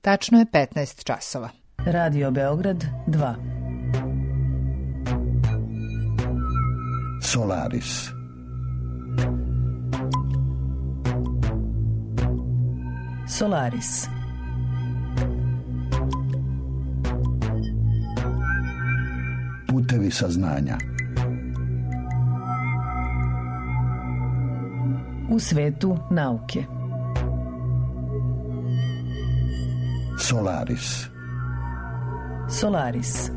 Tačno je 15 časova. Radio Beograd 2. Solaris. Solaris. Putevi saznanja. U svetu nauke. Solaris. Solaris.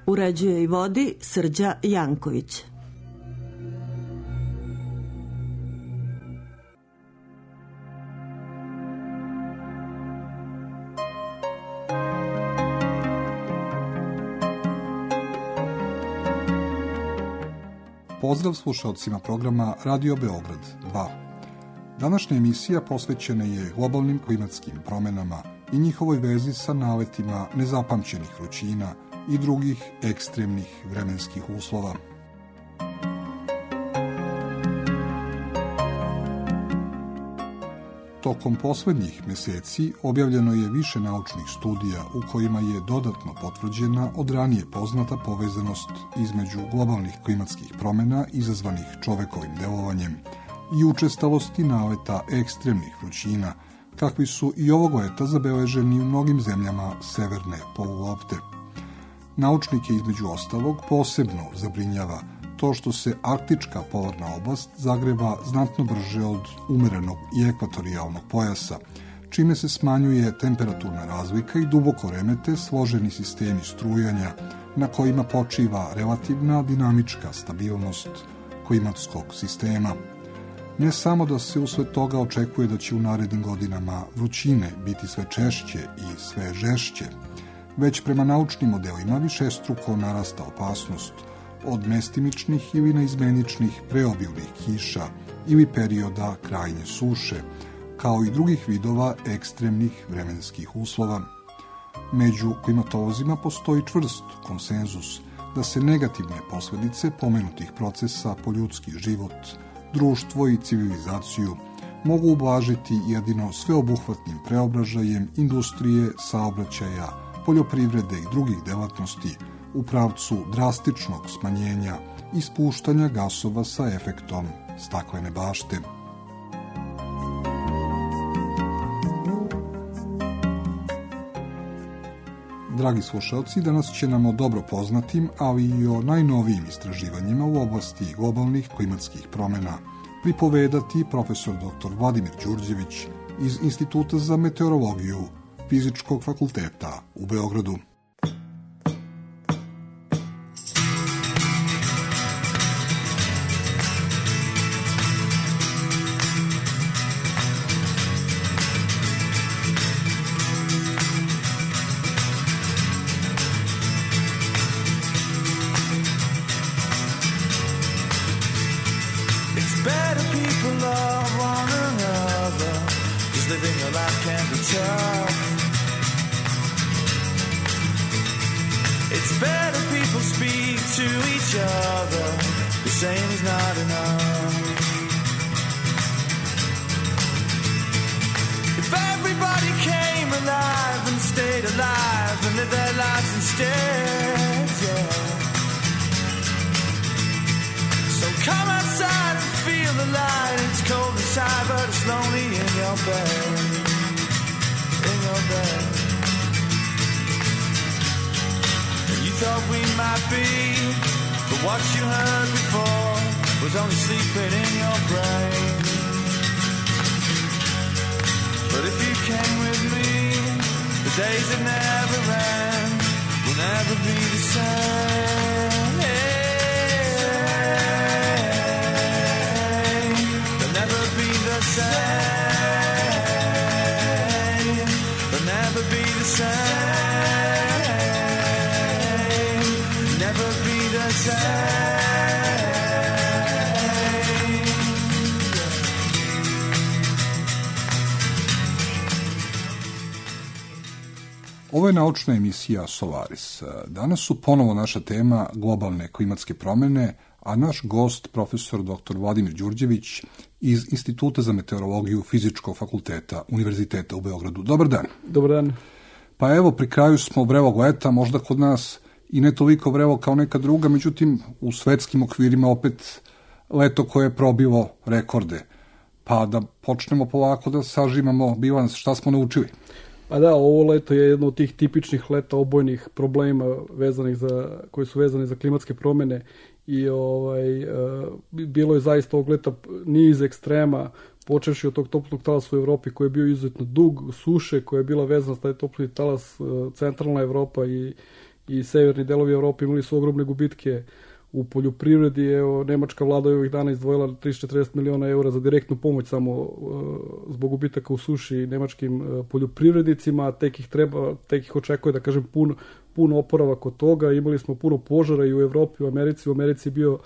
Uređuje i vodi Srđa Janković. Pozdrav slušalcima programa Radio Beograd 2. Današnja emisija posvećena je globalnim klimatskim promenama i njihovoj vezi sa naletima nezapamćenih vrućina i drugih ekstremnih vremenskih uslova. Tokom poslednjih meseci objavljeno je više naučnih studija u kojima je dodatno potvrđena od ranije poznata povezanost između globalnih klimatskih promena izazvanih čovekovim delovanjem i učestalosti naleta ekstremnih vrućina, kakvi su i ovog leta zabeleženi u mnogim zemljama severne polulopte. Naučnike između ostalog posebno zabrinjava to što se arktička polarna oblast zagreva znatno brže od umerenog i ekvatorijalnog pojasa, čime se smanjuje temperaturna razlika i duboko remete složeni sistemi strujanja na kojima počiva relativna dinamička stabilnost klimatskog sistema. Ne samo da se usled toga očekuje da će u narednim godinama vrućine biti sve češće i sve žešće, već prema naučnim modelima višestruko narasta opasnost od mestimičnih ili neizmeničnih preobilnih kiša ili perioda krajnje suše, kao i drugih vidova ekstremnih vremenskih uslova. Među klimatolozima postoji čvrst konsenzus da se negativne posledice pomenutih procesa po ljudski život, društvo i civilizaciju mogu ublažiti jedino sveobuhvatnim preobražajem industrije, saobraćaja, poljoprivrede i drugih delatnosti u pravcu drastičnog smanjenja i spuštanja gasova sa efektom staklene bašte. Dragi slušalci, danas će nam o dobro poznatim, ali i o najnovijim istraživanjima u oblasti globalnih klimatskih promena pripovedati profesor dr. Vladimir Đurđević iz Instituta za meteorologiju Fizičkog fakulteta u Beogradu. Living a life can be tough. It's better people speak to each other. The same is not enough. If everybody came alive and stayed alive and lived their lives instead, yeah. So come outside and feel the light. It's cold inside, but it's lonely in your bed. In your bed. And you thought we might be, but what you heard before was only sleeping in your brain. But if you came with me, the days that never end will never be the same. They'll never be the same. They'll never be the same. Never be the same. Ovo je naučna emisija Solaris. Danas su ponovo naša tema globalne klimatske promene, a naš gost, profesor dr. Vladimir Đurđević iz Instituta za meteorologiju Fizičkog fakulteta Univerziteta u Beogradu. Dobar dan. Dobar dan. Pa evo, pri kraju smo vrelog leta, možda kod nas i ne toliko vrelo kao neka druga, međutim u svetskim okvirima opet leto koje je probilo rekorde. Pa da počnemo polako da sažimamo bilans, šta smo naučili? Pa da, ovo leto je jedno od tih tipičnih leta obojnih problema koji su vezani za klimatske promene i bilo je zaista ovog leta niz ekstrema, počevši od tog toplog talasa u Evropi koji je bio izuzetno dug, suše koja je bila vezana za taj toplog talas, centralna Evropa i severni delovi Evrope imali su ogromne gubitke u poljoprivredi. Evo, nemačka vlada je ovih dana izdvojila 30-40 miliona eura za direktnu pomoć samo zbog gubitaka u suši nemačkim poljoprivrednicima, tek ih očekuje, da kažem, pun oporavak od toga. Imali smo puno požara i u Evropi, u Americi. U Americi je bio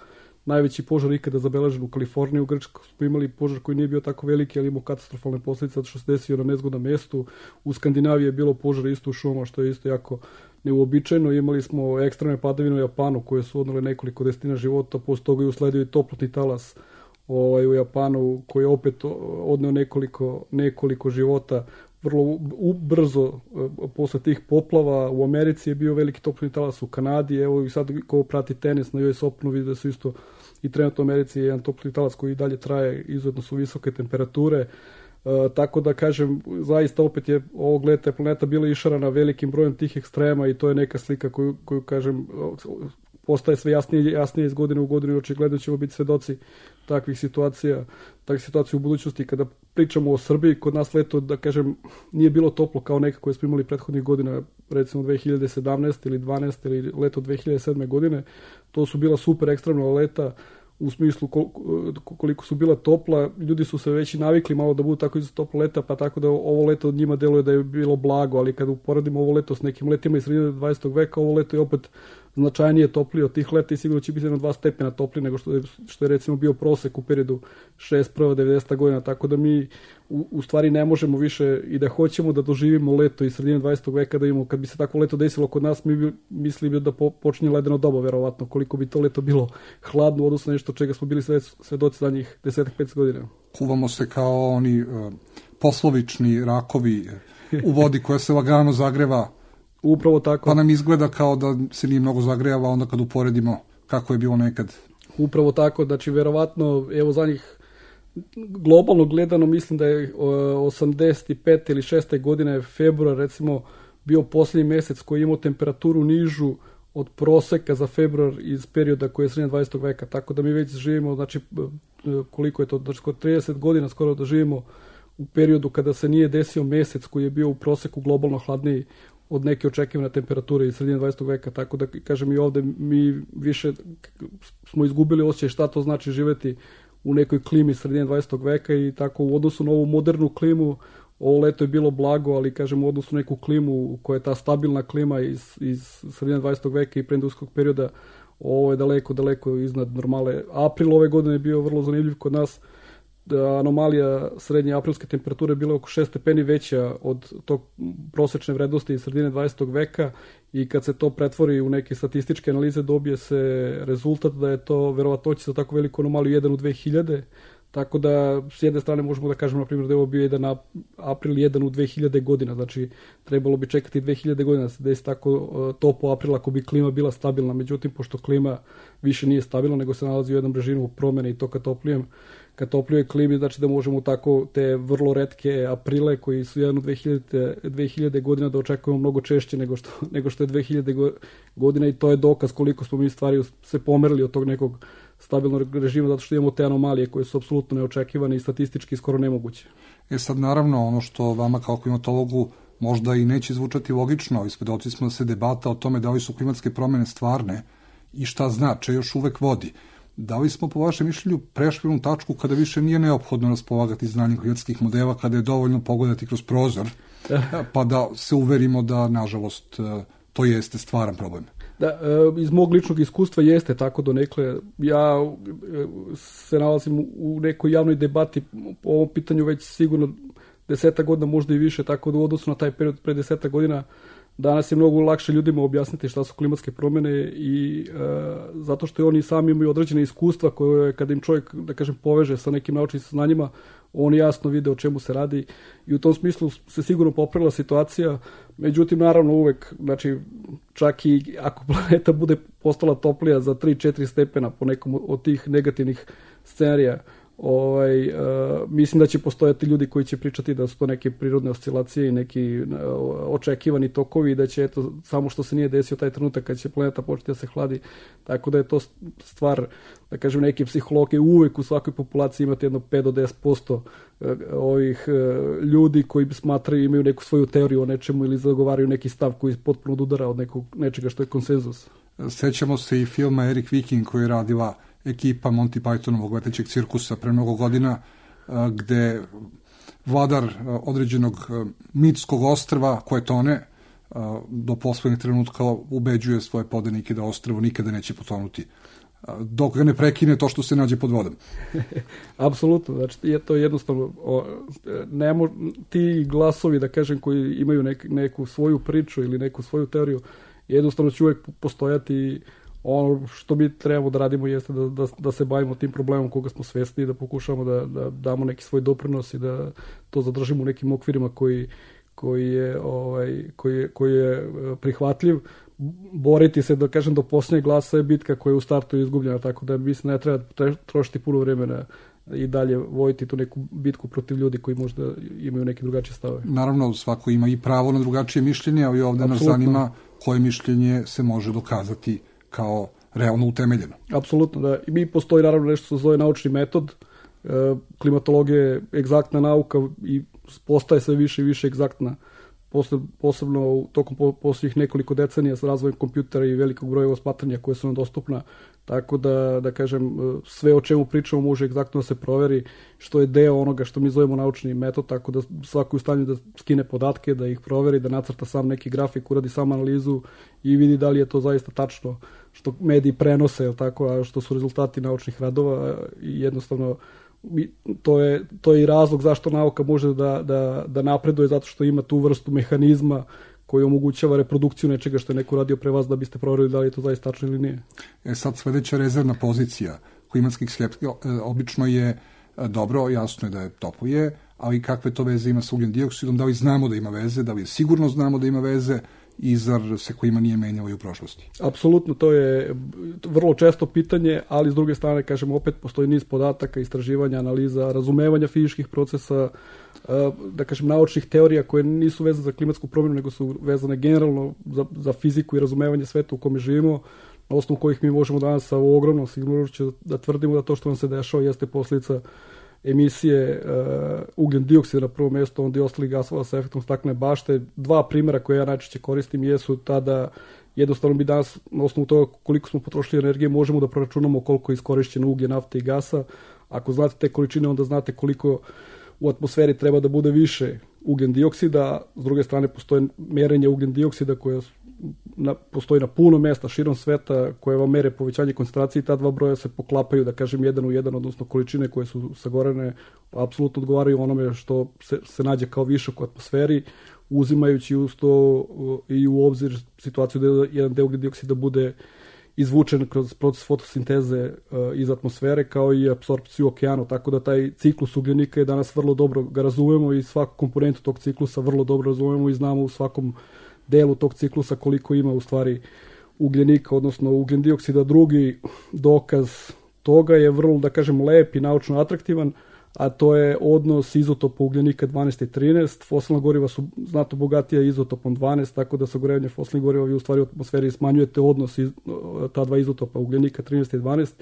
najveći požar ikada zabeležen u Kaliforniji. U Grčkoj smo imali požar koji nije bio tako veliki, ali imao katastrofalne posljedice zato što se desio na nezgodnom mestu. U Skandinaviji je bilo požara isto u šumama, što je isto jako neuobičajeno. Imali smo ekstremne padavine u Japanu koje su odnele nekoliko desetina života, posle toga je usledio i toplotni talas u Japanu koji je opet odneo nekoliko života vrlo brzo posle tih poplava. U Americi je bio veliki toplotni talas, u Kanadi, evo i sad ko prati tenis na US Openu vidi da su isto i trenutno u Americi je jedan toplotni talas koji i dalje traje, izuzetno su visoke temperature. Tako da kažem, zaista opet je ovog leta planeta bila išarana velikim brojem tih ekstrema i to je neka slika koju kažem postaje sve jasnije iz godine u godinu i očigledno ćemo biti svedoci takvih situacija u budućnosti. Kada pričamo o Srbiji, kod nas leto, da kažem, nije bilo toplo kao neka koje smo imali prethodnih godina, recimo 2017 ili 12 ili leto 2007. godine. To su bila super ekstremna leta u smislu koliko su bila topla. Ljudi su se već i navikli malo da budu tako iz topla leta, pa tako da ovo leto od njima deluje da je bilo blago, ali kada uporedimo ovo leto s nekim letima iz sredine 20. veka, ovo leto je opet značajnije toplije od tih leta i sigurno će biti na 2 stepena toplije nego što je recimo bio prosek u periodu 61-90. godina, tako da mi u stvari ne možemo više i da hoćemo da doživimo leto iz sredine 20. veka, da imamo, kad bi se tako leto desilo kod nas, mi bi mislili da počinje ledeno doba, verovatno, koliko bi to leto bilo hladno u odnosu na nešto čega smo bili svedoci zadnjih 10-15 godina. Kuvamo se kao oni poslovični rakovi u vodi koja se lagano zagreva. Upravo tako. Pa nam izgleda kao da se nije mnogo zagrejava onda kad uporedimo kako je bilo nekad. Upravo tako, znači verovatno, evo zadnjih globalno gledano mislim da je 85. ili 6. godine februar recimo bio posljednji mesec koji je imao temperaturu nižu od proseka za februar iz perioda koji je sredina 20. veka, tako da mi već živimo, znači koliko je to, znači skoro 30 godina skoro da živimo u periodu kada se nije desio mesec koji je bio u proseku globalno hladniji od neke očekivane temperature iz sredine 20. veka, tako da kažem i ovde mi više smo izgubili osjećaj šta to znači živeti u nekoj klimi sredine 20. veka i tako u odnosu na ovu modernu klimu ovo leto je bilo blago, ali kažem u odnosu na neku klimu koja je ta stabilna klima iz sredine 20. veka i preindustrijskog perioda, ovo je daleko iznad normale. April ove godine je bio vrlo zanimljiv kod nas. Anomalija srednje aprilske temperature bila oko 6 stepeni veća od tog prosečne vrednosti iz sredine 20. veka i kad se to pretvori u neke statističke analize dobije se rezultat da je to verovatnoća za tako veliku anomaliju 1 u 2000, tako da s jedne strane možemo da kažemo na primjer da je ovo bio jedan april 1 u 2000 godina, znači trebalo bi čekati 2000 godina da se desi tako toplo april ako bi klima bila stabilna, međutim pošto klima više nije stabilna nego se nalazi u jednom režimu promene i to ka toplijoj klimi, znači da možemo tako te vrlo retke aprile koji su 1 u 2000 godina da očekujemo mnogo češće nego što je 2000 godina i to je dokaz koliko smo mi stvari se pomerili od tog nekog stabilnog režima zato što imamo te anomalije koje su apsolutno neočekivane i statistički skoro nemoguće. Sad naravno ono što vama kao klimatologu možda i neće zvučati logično, i svedoci smo da se debata o tome da li su klimatske promene stvarne i šta znače još uvek vodi. Da li smo po vašem mišljenju prešli u tačku kada više nije neophodno raspolagati znanjem klimatskih modela, kada je dovoljno pogledati kroz prozor, pa da se uverimo da, nažalost, to jeste stvaran problem? Da, iz mog ličnog iskustva jeste tako donekle. Ja se nalazim u nekoj javnoj debati po ovom pitanju već sigurno 10 godina, možda i više, tako da u odnosu na taj period pre 10 godina danas je mnogo lakše ljudima objasniti šta su klimatske promjene i zato što oni sami imaju određene iskustva koje kada im čovjek, da kažem, poveže sa nekim naučnim saznanjima, on jasno vide o čemu se radi i u tom smislu se sigurno popravila situacija. Međutim, naravno uvek, znači, čak i ako planeta bude postala toplija za 3-4 stepena po nekom od tih negativnih scenarija, mislim da će postojati ljudi koji će pričati da su to neke prirodne oscilacije i neki očekivani tokovi i da će, eto, samo što se nije desio taj trenutak kad će planeta početi da se hladi. Tako da je to stvar, da kažem, neki psiholog je uvek u svakoj populaciji imati jedno 5 do 10% ovih ljudi koji smatraju, imaju neku svoju teoriju o nečemu ili zagovaraju neki stav koji potpuno odudara od nečega što je konsenzus. Sećamo se i filma Eric Viking koji je radila ekipa Monty Pythonovog letećeg cirkusa pre mnogo godina, gde vladar određenog mitskog ostrva koje tone do poslednjeg trenutka ubeđuje svoje podanike da ostrvo nikada neće potonuti dok ga ne prekine to što se nađe pod vodom. Apsolutno, znači je to jednostavno ti glasovi, da kažem, koji imaju neku svoju priču ili neku svoju teoriju, jednostavno će uvijek postojati. Ono što mi trebamo da radimo jeste da se bavimo tim problemom koga smo svesni i da pokušamo da damo neki svoj doprinos i da to zadržimo u nekim okvirima koji je prihvatljiv. Boriti se, da kažem, do posljednjeg glasa je bitka koja je u startu izgubljena, tako da mislim ne treba trošiti puno vremena i dalje vojiti tu neku bitku protiv ljudi koji možda imaju neke drugačije stavove. Naravno, svako ima i pravo na drugačije mišljenje, ali ovdje nas zanima koje mišljenje se može dokazati kao realno utemeljeno. Apsolutno, da. I mi postoji naravno nešto što se zove naučni metod. Klimatologija je egzaktna nauka i postaje sve više i više egzaktna. Posebno tokom posljednjih nekoliko decenija sa razvojem kompjutera i velikog broja osmatranja koje su nam dostupna. Tako da kažem, sve o čemu pričamo može egzaktno da se proveri, što je deo onoga što mi zovemo naučni metod, tako da svako je u stanju da skine podatke, da ih proveri, da nacrta sam neki grafik, uradi sam analizu i vidi da li je to zaista tačno što mediji prenose, jel tako, a što su rezultati naučnih radova i jednostavno to je i razlog zašto nauka može da napreduje, zato što ima tu vrstu mehanizma koji omogućava reprodukciju nečega što je neko radio pre vas da biste proverili da li je to zaista tačno ili nije. Sad sledeća rezervna pozicija klimatskih skeptika obično je dobro, jasno je da je toplije, ali kakve to veze ima sa ugljen dioksidom, da li znamo da ima veze, da li sigurno znamo da ima veze i zar se klima nije menjala i u prošlosti? Apsolutno, to je vrlo često pitanje, ali s druge strane, kažem, opet postoji niz podataka, istraživanja, analiza, razumevanja fizičkih procesa, da kažem, naučnih teorija koje nisu vezane za klimatsku promjenu, nego su vezane generalno za fiziku i razumevanje sveta u kome živimo, na osnovu kojih mi možemo danas sa ogromnom sigurnošću da tvrdimo da to što nam se dešava jeste posljedica emisije ugljen dioksida na prvo mjesto, onda i ostalih gasova sa efektom staklene bašte. Dva primjera koje ja najčešće koristim jesu tada, jednostavno mi danas na osnovu toga koliko smo potrošili energije možemo da proračunamo koliko je iskorišćeno uglje, nafte i gasa. Ako znate te količine, onda znate koliko u atmosferi treba da bude više ugljen dioksida. S druge strane, postoje merenje ugljen dioksida koje postoji na puno mjesta širom sveta koje vam mere povećanje koncentracije i ta dva broja se poklapaju, da kažem, jedan u jedan, odnosno količine koje su sagorene apsolutno odgovaraju onome što se nađe kao višak u atmosferi, uzimajući uz to i u obzir situaciju da jedan deo ugljen dioksida bude izvučen kroz proces fotosinteze iz atmosfere, kao i apsorpciju u okeanu, tako da taj ciklus ugljenika je danas vrlo dobro ga razumemo i svaku komponentu tog ciklusa vrlo dobro razumemo i znamo u svakom delu tog ciklusa koliko ima u stvari ugljenika, odnosno ugljen dioksida. Drugi dokaz toga je vrlo, da kažem, lep i naučno atraktivan, a to je odnos izotopa ugljenika 12 i 13. Fosilna goriva su znatno bogatija izotopom 12, tako da sagorevanje fosilnih goriva vi u stvari u atmosferi smanjujete odnos ta dva izotopa ugljenika 13 i 12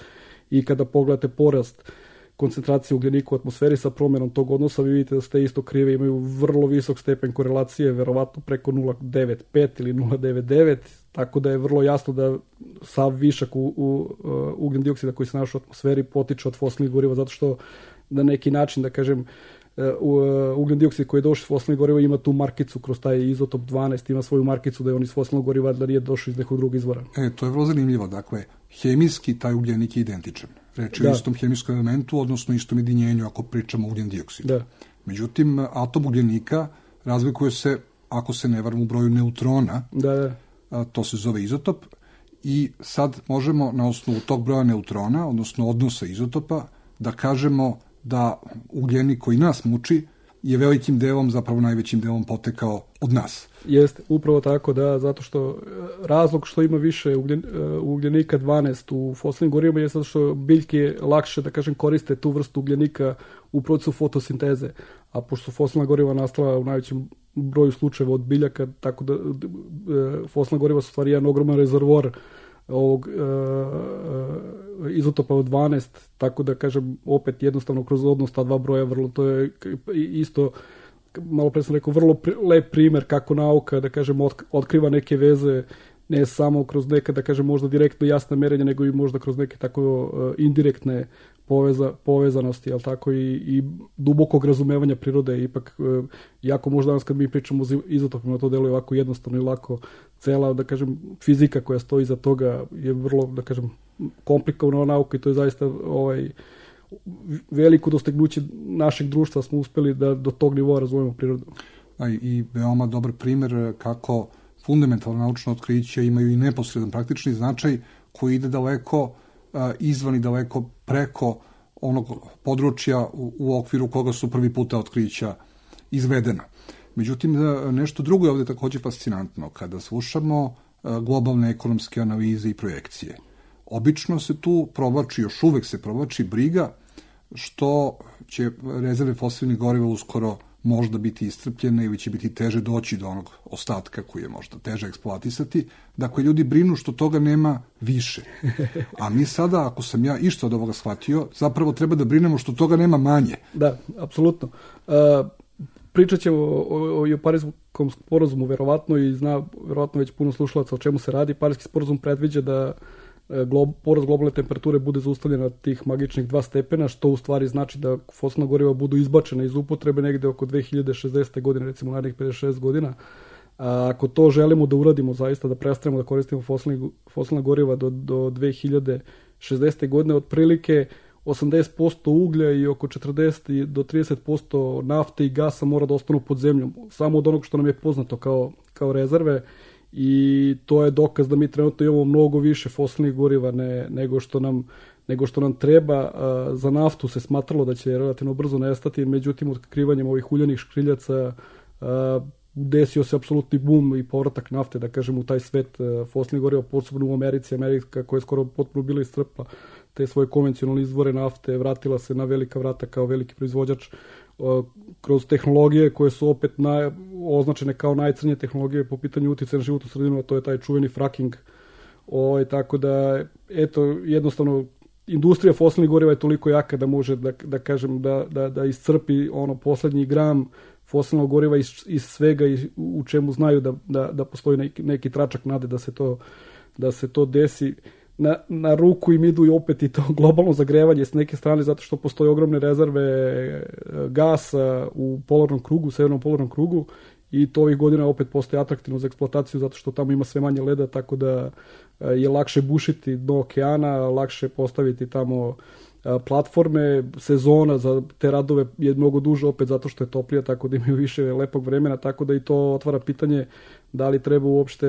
i kada pogledate porast koncentracije ugljenika u atmosferi sa promjenom tog odnosa, vi vidite da ste isto krive, imaju vrlo visok stepen korelacije, verovatno preko 0,95 ili 0,99, tako da je vrlo jasno da sav višak ugljen dioksida koji se našao u atmosferi potiče od fosilnih goriva, zato što na neki način, da kažem, ugljen dioksid koji je došao iz fosilnih goriva ima tu markicu kroz taj izotop 12, ima svoju markicu da je on iz fosilnog goriva, da nije došao iz nekog drugog izvora. To je vrlo zanimljivo, dakle, hemijski taj ugljenik je identičan. Reč je o istom hemijskom elementu, odnosno istom jedinjenju ako pričamo o ugljen dioksidu. Da. Međutim, atom ugljenika razlikuje se ako se ne varam u broju neutrona, Da. to se zove izotop, i sad možemo na osnovu tog broja neutrona, odnosno odnosa izotopa, da kažemo da ugljenik koji nas muči je velikim delom, zapravo najvećim delom potekao od nas. Jeste, upravo tako, da, zato što razlog što ima više ugljenika 12 u fosilnim gorivima je zato što biljke lakše, da kažem, koriste tu vrstu ugljenika u procesu fotosinteze, a pošto su fosilna goriva nastala u najvećem broju slučajeva od biljaka, tako da fosilna goriva su stvari jedan ogroman rezervoar ovog izotopa od 12, tako da kažem opet jednostavno kroz odnos ta dva broja vrlo, to je isto, malo pre sam rekao, vrlo lep primer kako nauka, da kažem, otkriva neke veze, ne samo kroz neka, da kažem, možda direktno jasna merenja, nego i možda kroz neke tako indirektne povezanosti, jel tako, i dubokog razumevanja prirode. Ipak, jako možda danas kad mi pričamo o izotopima, to deluje ovako jednostavno i lako. Cela, da kažem, fizika koja stoji iza toga je vrlo, da kažem, komplikovana nauka i to je zaista veliko dostignuće našeg društva, smo uspeli da do tog nivoa razumemo prirodu. I veoma dobar primer kako fundamentalna naučna otkrića imaju i neposredan praktični značaj koji ide daleko izvan i daleko preko onog područja u okviru koga su prvi puta otkrića izvedena. Međutim, nešto drugo je ovdje također fascinantno. Kada slušamo globalne ekonomske analize i projekcije, obično se tu provlači, još uvek se provlači briga što će rezerve fosilnih goriva uskoro možda biti iscrpljene ili će biti teže doći do onog ostatka koji je možda teže eksploatisati. Dakle, ljudi brinu što toga nema više. A mi sada, ako sam ja išta od ovoga shvatio, zapravo treba da brinemo što toga nema manje. Da, apsolutno. Pričat ćemo o Pariskom sporazumu, verovatno, i zna verovatno već puno slušalaca o čemu se radi. Pariski sporazum predviđa da porast globalne temperature bude zaustavljena na tih magičnih 2 stepena, što u stvari znači da fosilna goriva budu izbačena iz upotrebe negde oko 2060. godine, recimo narednih 56 godina. Ako to želimo da uradimo zaista, da prestanemo da koristimo fosilna goriva do 2060. godine, otprilike 80% uglja i oko 40 do 30% nafte i gasa mora da ostanu pod zemljom, samo od onog što nam je poznato kao rezerve. I to je dokaz da mi trenutno imamo mnogo više fosilnih goriva nego što nam treba. Za naftu se smatralo da će relativno brzo nestati, međutim otkrivanjem ovih uljanih škriljaca desio se apsolutni bum i povratak nafte, da kažem, u taj svet fosilnih goriva, posebno u Americi. Amerika koja je skoro potpuno bila iscrpla te svoje konvencionalne izvore nafte, vratila se na velika vrata kao veliki proizvođač kroz tehnologije koje su opet označene kao najcrnje tehnologije po pitanju uticaja na životnu sredinu, a to je taj čuveni fracking. Tako da, eto, jednostavno, industrija fosilnih goriva je toliko jaka da može, da kažem, da iscrpi ono poslednji gram fosilnog goriva iz svega u čemu znaju da postoji neki tračak nade da se to desi. Na ruku im idu i opet i to globalno zagrevanje s neke strane, zato što postoje ogromne rezerve gasa u polarnom krugu, severnom polarnom krugu, i to ovih godina opet postoje atraktivno za eksploataciju zato što tamo ima sve manje leda, tako da je lakše bušiti dno okeana, lakše postaviti tamo platforme. Sezona za te radove je mnogo duže opet zato što je toplija, tako da imaju više lepog vremena, tako da i to otvara pitanje da li treba uopšte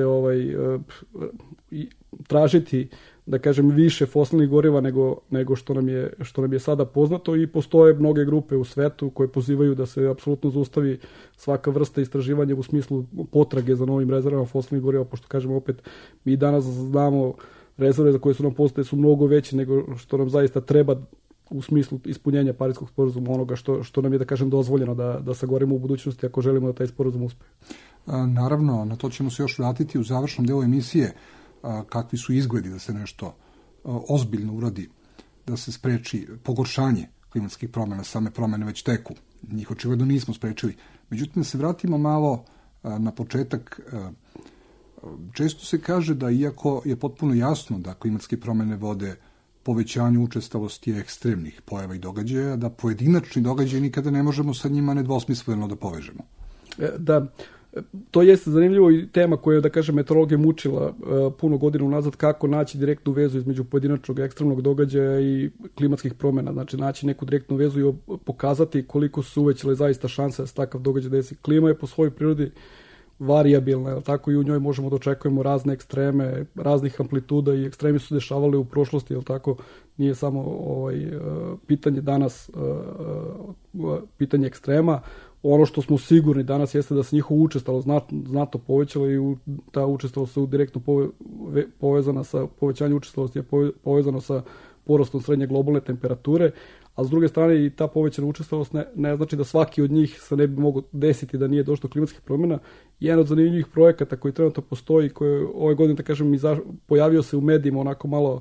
tražiti, da kažem, više fosilnih goriva nego što nam je sada poznato. I postoje mnoge grupe u svetu koje pozivaju da se apsolutno zaustavi svaka vrsta istraživanja u smislu potrage za novim rezervama fosilnih goriva, pošto, kažem, opet mi danas znamo rezerve za koje su nam poznate su mnogo veće nego što nam zaista treba u smislu ispunjenja Pariskog sporazuma, onoga što nam je, da kažem, dozvoljeno da sagorimo u budućnosti ako želimo da taj sporazum uspe. Naravno, na to ćemo se još vratiti u završnom delu emisije, kakvi su izgledi da se nešto ozbiljno uradi, da se spreči pogoršanje klimatskih promjena. Same promjene već teku, njih očigledno nismo sprečili. Međutim, da se vratimo malo na početak. Često se kaže da, iako je potpuno jasno da klimatske promjene vode povećanju učestalosti ekstremnih pojava i događaja, da pojedinačni događaj nikada ne možemo sa njima nedvosmisleno da povežemo. Da, to jeste zanimljivo i tema koja je, da kažem, meteorologija mučila puno godina unazad, kako naći direktnu vezu između pojedinačnog ekstremnog događaja i klimatskih promjena. Znači, naći neku direktnu vezu i pokazati koliko su uvećale zaista šanse da se takav događaj desi. Klima je po svojoj prirodi varijabilna, jel tako, i u njoj možemo da očekujemo razne ekstreme, raznih amplituda i ekstremi su dešavali u prošlosti, jel tako, nije samo pitanje danas, pitanje ekstrema. Ono što smo sigurni danas jeste da se njihovo učestalo znatno povećalo i ta učestalost je direktno povezana sa povećanjem učestalosti je povezano sa porastom srednje globalne temperature, a s druge strane i ta povećana učestalost ne znači da svaki od njih se ne bi mogao desiti da nije došlo do klimatskih promjena. Jedan od zanimljivih projekata koji trenutno postoji, koji ove godine, da kažem, pojavio se u medijima onako malo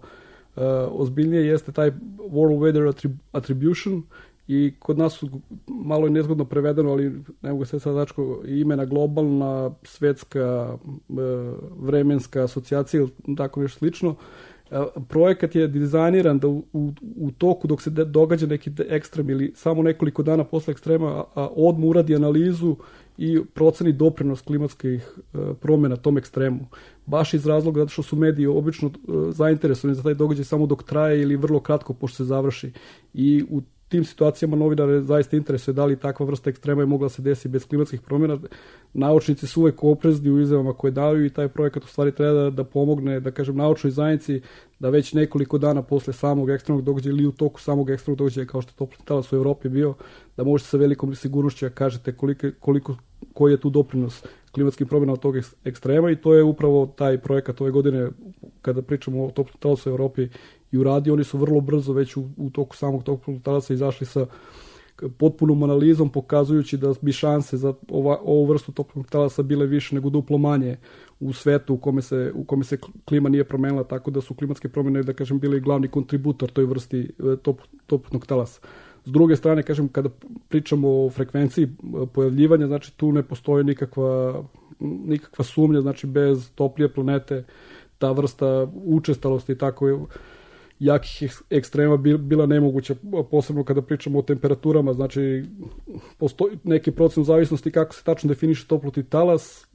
ozbiljnije, jeste taj World Weather Attribution, i kod nas su malo je nezgodno prevedeno, ali ne mogu se sad dačko imena globalna, svetska, vremenska asocijacija ili tako nešto slično. Projekat je dizajniran da u toku dok se događa neki ekstrem ili samo nekoliko dana posle ekstrema odmah uradi analizu i proceni doprinos klimatskih promjena tom ekstremu. Baš iz razloga zato što su mediji obično zainteresovani za taj događaj samo dok traje ili vrlo kratko pošto se završi. I u tim situacijama novinare zaista interesuje da li takva vrsta ekstrema je mogla se desiti bez klimatskih promjena. Naučnici su uvek oprezni u izjavama koje daju i taj projekat u stvari treba da pomogne, da kažem, naučnoj zajednici da već nekoliko dana posle samog ekstremnog događaja ili u toku samog ekstremnog događaja kao što je toplotni talas u Evropi bio, da možete sa velikom sigurnošću da kažete koji je tu doprinos klimatskim promjenama tog ekstrema, i to je upravo taj projekat ove godine kada pričamo o toplotnom talasu u Evropi i uradio. Oni su vrlo brzo već u toku samog toplotnog talasa izašli sa potpunom analizom pokazujući da bi šanse za ovu vrstu toplotnog talasa bile više nego duplo manje u svetu u kome se klima nije promenila, tako da su klimatske promjene, da kažem, bili glavni kontributor toj vrsti toplotnog talasa. S druge strane, kažem, kada pričamo o frekvenciji pojavljivanja, znači tu ne postoji nikakva sumnja, znači bez toplije planete ta vrsta učestalosti tako jakih ekstrema bila nemoguća, posebno kada pričamo o temperaturama, znači postoji neki procent zavisnosti kako se tačno definiše toplotni talas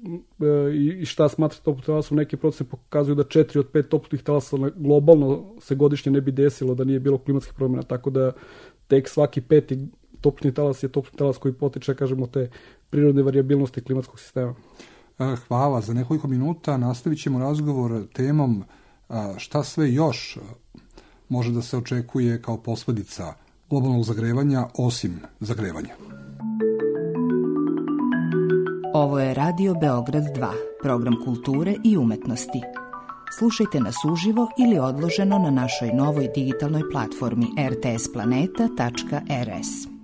i šta smatra toplotni talas. U neki procent pokazuju da 4 od 5 toplotnih talasa globalno se godišnje ne bi desilo da nije bilo klimatskih promjena, tako da tek svaki 5. toplotni talas je toplotni talas koji potiče, kažemo, te prirodne varijabilnosti klimatskog sistema. Hvala. Za nekoliko minuta nastavit ćemo razgovor temom šta sve još može da se očekuje kao posledica globalnog zagrevanja osim zagrevanja. Ovo je Radio Beograd 2, program kulture i umetnosti. Slušajte nas uživo ili odloženo na našoj novoj digitalnoj platformi rtsplaneta.rs.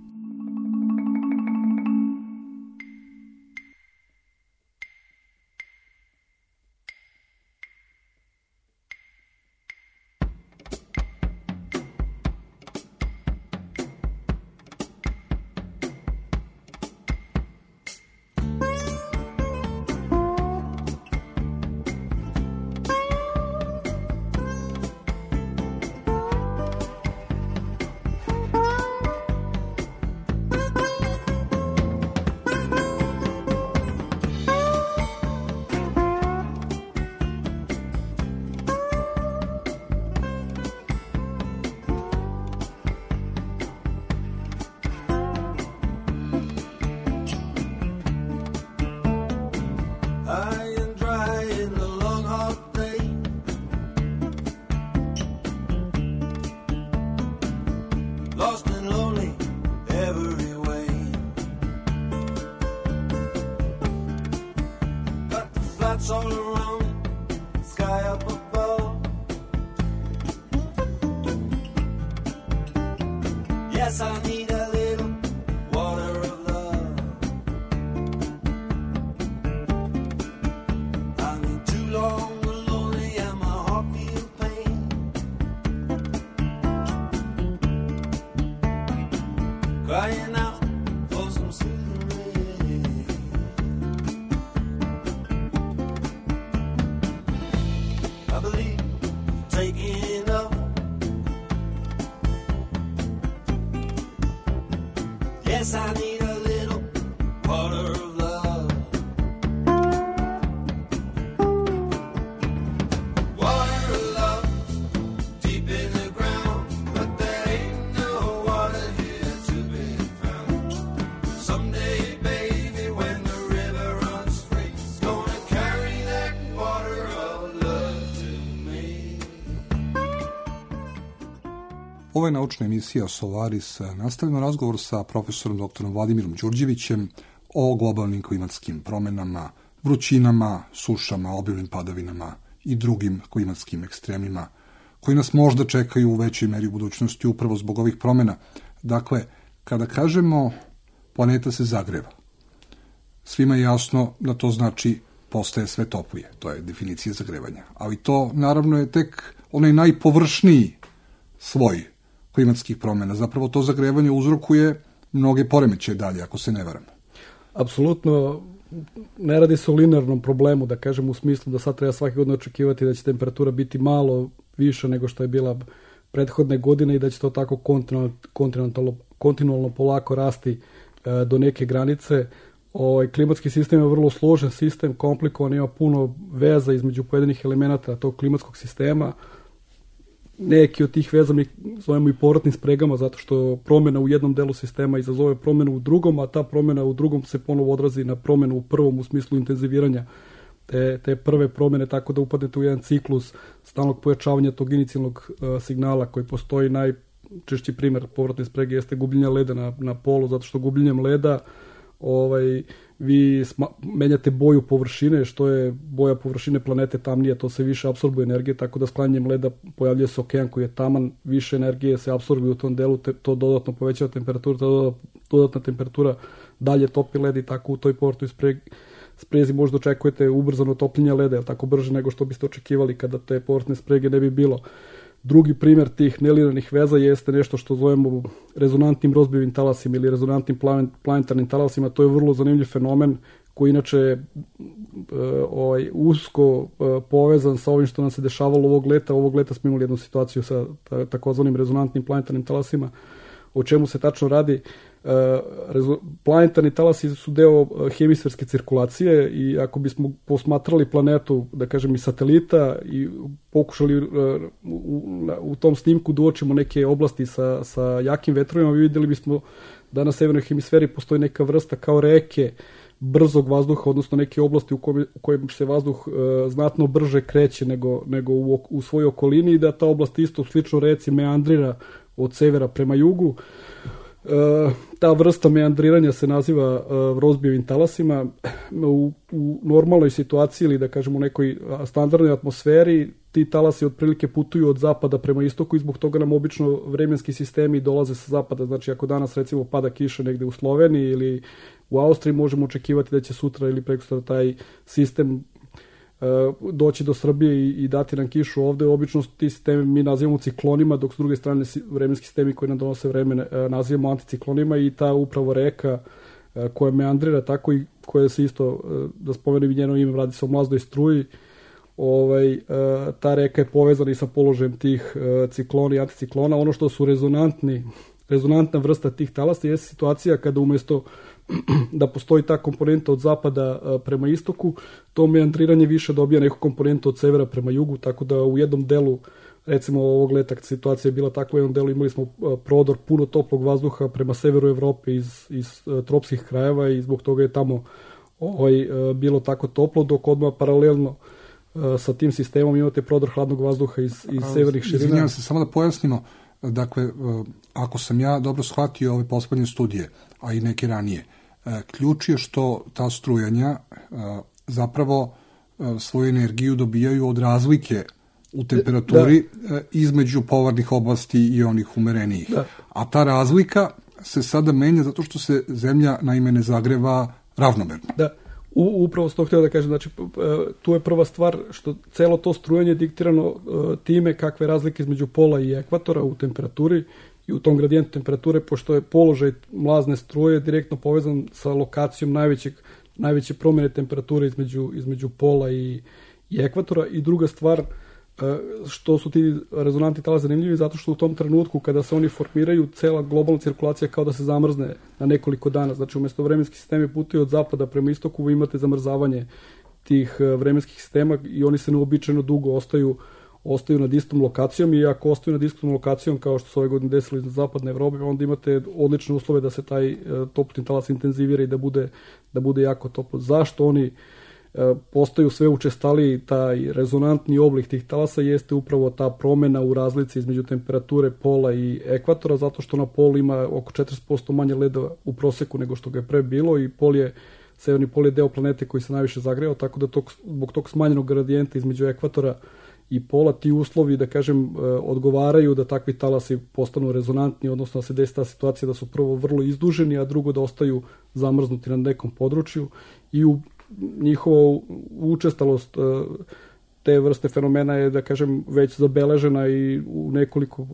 All around, sky up above. Yes, I need a little water of love. I've been too long lonely and my heart feels pain. Crying out for some soothing rain. I believe taking up. Yes, I need a little water of love. Water of love, deep in the ground, but there ain't no water here to be found. Someday, baby, when the river runs straight, Ovo je naučna emisija Solaris. Nastavljamo razgovor sa profesorom doktorom Vladimirom Đurđevićem o globalnim klimatskim promenama, vrućinama, sušama, obilnim padavinama i drugim klimatskim ekstremima koji nas možda čekaju u većoj meri u budućnosti upravo zbog ovih promena. Dakle, kada kažemo planeta se zagreva, svima je jasno da to znači postaje sve toplije. To je definicija zagrevanja. Ali to naravno je tek onaj najpovršniji sloj klimatskih promena. Zapravo to zagrevanje uzrokuje mnoge poremećaje dalje, ako se ne varamo. Apsolutno, ne radi se o linearnom problemu, da kažem u smislu da sad treba svake godine očekivati da će temperatura biti malo više nego što je bila prethodne godine i da će to tako kontinualno polako rasti do neke granice. Klimatski sistem je vrlo složen sistem, komplikovan, ima puno veza između pojedinih elemenata tog klimatskog sistema. Neki od tih veza mi zovemo i povratnim spregama, zato što promjena u jednom delu sistema izazove promjenu u drugom, a ta promjena u drugom se ponovo odrazi na promjenu u prvom u smislu intenziviranja te prve promjene, tako da upadnete u jedan ciklus stalnog pojačavanja tog inicijalnog signala koji postoji. Najčešći primjer povratne sprege jeste gubljenje leda na polu, zato što gubljenjem leda vi menjate boju površine, što je boja površine planete tamnije, to se više apsorbuje energije, tako da sklanjanjem leda pojavljuje se okean koji je taman, više energije se apsorbuje u tom delu, to dodatno povećava temperaturu, dodatna temperatura dalje topi led i tako u toj povratnoj sprezi možda očekujete ubrzano topljenje leda, je tako brže nego što biste očekivali kada te povratne sprege ne bi bilo. Drugi primjer tih nelinearnih veza jeste nešto što zovemo rezonantnim rozbijevim talasima ili rezonantnim planetarnim talasima. To je vrlo zanimljiv fenomen koji inače usko povezan sa ovim što nam se dešavalo ovog leta. Ovog leta smo imali jednu situaciju sa takozvanim rezonantnim planetarnim talasima. O čemu se tačno radi? Planetarni talasi su deo hemisferske cirkulacije i ako bismo posmatrali planetu, da kažem, iz satelita i pokušali u tom snimku da uočimo neke oblasti sa jakim vetrovima, vidjeli bismo da na severnoj hemisferi postoji neka vrsta kao reke brzog vazduha, odnosno neke oblasti u kojem se vazduh znatno brže kreće nego u svojoj okolini i da ta oblast isto slično reci meandrira od severa prema jugu. Ta vrsta meandriranja se naziva rozbijevim talasima. U normalnoj situaciji ili da kažemo u nekoj standardnoj atmosferi ti talasi otprilike putuju od zapada prema istoku i zbog toga nam obično vremenski sistemi dolaze sa zapada. Znači ako danas recimo pada kiša negde u Sloveniji ili u Austriji, možemo očekivati da će sutra ili prekosutra taj sistem doći do Srbije i dati nam kišu ovde. Obično ti sistemi mi nazivamo ciklonima, dok s druge strane vremenski sistemi koji nam donose vreme nazivamo anticiklonima i ta upravo reka koja meandrira tako i koja se isto, da spomenem i njeno ime, radi se o mlazdoj struji. Ta reka je povezana i sa položajem tih ciklona i anticiklona. Ono što su rezonantna vrsta tih talasa je situacija kada umjesto da postoji ta komponenta od zapada prema istoku, to meandriranje više dobija neku komponentu od severa prema jugu, tako da u jednom delu, recimo ovog leta situacija je bila takva, u jednom delu imali smo prodor puno toplog vazduha prema severu Evrope iz tropskih krajeva i zbog toga je tamo bilo tako toplo, dok odmah paralelno sa tim sistemom imate prodor hladnog vazduha iz severnih širina. Izvinjavam se, samo da pojasnimo, dakle, ako sam ja dobro shvatio ove poslednje studije, a i neke ranije, ključ je što ta strujanja zapravo svoju energiju dobijaju od razlike u temperaturi između polarnih oblasti i onih umerenijih. Da. A ta razlika se sada menja zato što se zemlja naime ne zagreva ravnomerno. Da. Upravo s to htio da kažem, znači tu je prva stvar što celo to strujanje diktirano time kakve razlike između pola i ekvatora u temperaturi i u tom gradijentu temperature, pošto je položaj mlazne struje direktno povezan sa lokacijom najveće promjene temperature između pola i ekvatora. I druga stvar, što su ti rezonantni talasi zanimljivi, zato što u tom trenutku kada se oni formiraju, cela globalna cirkulacija kao da se zamrzne na nekoliko dana. Znači umjesto vremenski sistemi putuju od zapada prema istoku, vi imate zamrzavanje tih vremenskih sistema i oni se neobičajno dugo ostaju nad istom lokacijom i ako ostaju nad istom lokacijom kao što se ove godine desilo iz zapadne Evrope, onda imate odlične uslove da se taj toplotni talas intenzivira i da bude jako toplo. Zašto oni postaju sve učestaliji taj rezonantni oblik tih talasa jeste upravo ta promjena u razlici između temperature pola i ekvatora, zato što na polu ima oko 40% manje leda u proseku nego što ga je pre bilo i severni pol je deo planete koji se najviše zagreo, tako da zbog tog smanjenog gradijenta između ekvatora i pola ti uslovi, da kažem, odgovaraju da takvi talasi postanu rezonantni, odnosno da se desi ta situacija da su prvo vrlo izduženi, a drugo da ostaju zamrznuti na nekom području i u njihova učestalost te vrste fenomena je, da kažem, već zabeležena i u nekoliko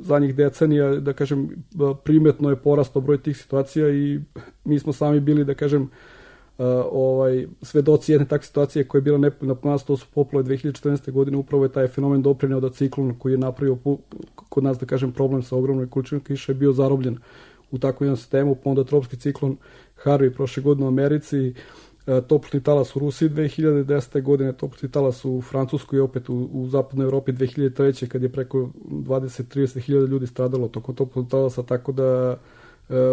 zadnjih decenija, da kažem, primetno je porastao broj tih situacija i mi smo sami bili, da kažem, svedoci jedne takve situacije koja je bila nepovoljna po nas, to su poplave 2014. godine, upravo je taj fenomen doprineo da ciklon koji je napravio kod nas, da kažem, problem sa ogromnom količinom kiše je bio zarobljen u takvom jednom sistemu, pa onda tropski ciklon Harvey prošle godine u Americi, toplotni talas u Rusiji 2010. godine, toplotni talas u Francuskoj i opet u zapadnoj Evropi 2003. kad je preko 20-30 hiljada ljudi stradalo tokom toplotnog talasa, tako da